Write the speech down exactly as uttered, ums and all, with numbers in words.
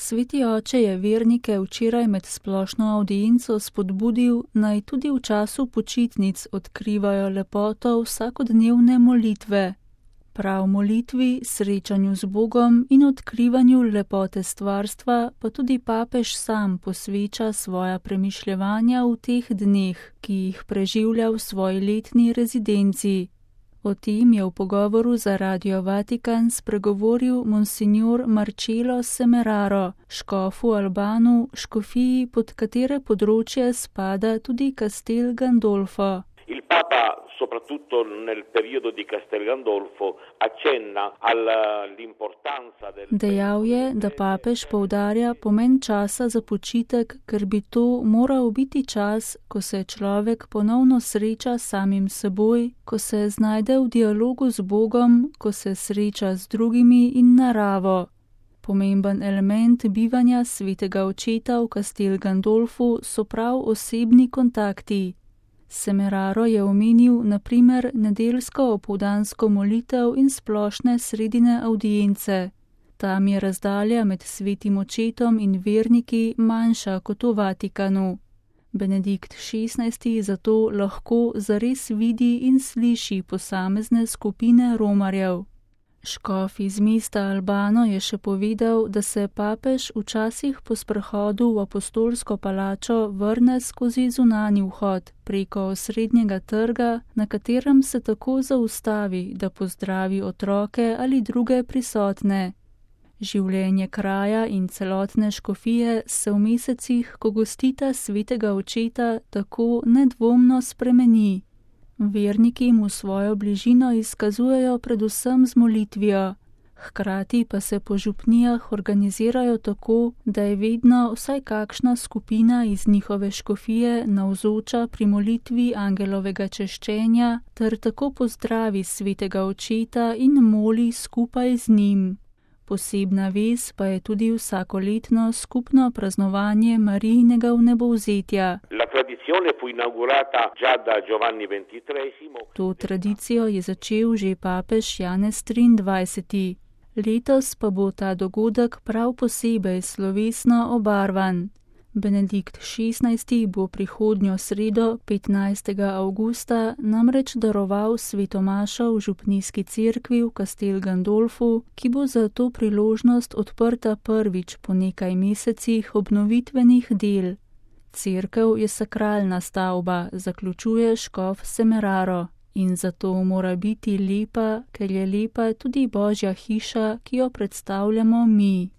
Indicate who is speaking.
Speaker 1: Sveti oče je vernike včeraj med splošno avdienco spodbudil, naj tudi v času počitnic odkrivajo lepoto vsakodnevne molitve. Prav molitvi, srečanju z Bogom in odkrivanju lepote stvarstva pa tudi papež sam posveča svoja premišljevanja v teh dneh, ki jih preživlja v svoji letni rezidenci. O tem je v pogovoru za Radio Vatikan spregovoril monsignor Marcello Semeraro, škof v Albanu, škofiji, pod katere področje spada tudi Castel Gandolfo.
Speaker 2: Il Papa, soprattutto nel periodo di Castel Gandolfo, accenna all'importanza del...
Speaker 1: Dejal je, da papež poudarja pomen časa za počitek, ker bi to moral biti čas, ko se človek ponovno sreča s samim seboj, ko se znajde v dialogu z Bogom, ko se sreča z drugimi in naravo. Pomemben element bivanja svetega očeta v Castel Gandolfu so prav osebni kontakti. Semeraro je omenil na primer nedeljsko opoldansko molitev in splošne sredine avdience. Tam je razdalja med svetim očetom in verniki manjša kot v Vatikanu. Benedikt šestnajsti zato lahko zares vidi in sliši posamezne skupine romarjev. Škof iz mesta Albano je še povedal, da se papež včasih po sprehodu v apostolsko palačo vrne skozi zunanji vhod preko osrednjega trga, na katerem se tako zaustavi, da pozdravi otroke ali druge prisotne. Življenje kraja in celotne škofije se v mesecih, ko gostita svetega očeta, tako nedvomno spremeni. Verniki mu svojo bližino izkazujejo predvsem z molitvijo, hkrati pa se po župnijah organizirajo tako, da je vedno vsaj kakšna skupina iz njihove škofije navzoča pri molitvi angelovega češčenja ter tako pozdravi svetega očeta in moli skupaj z njim. Posebna vez pa je tudi vsakoletno skupno praznovanje Marijinega vnebovzetja. To tradicijo je začel že papež Janez triindvajseti. Letos pa bo ta dogodek prav posebej slovesno obarvan. Benedikt šestnajsti bo prihodnjo sredo, petnajstega avgusta, namreč daroval svetomašo v župnijski cerkvi v Castel Gandolfu, ki bo za to priložnost odprta prvič po nekaj mesecih obnovitvenih del. Cerkev je sakralna stavba, zaključuje škof Semeraro, in zato mora biti lepa, ker je lepa tudi Božja hiša, ki jo predstavljamo mi.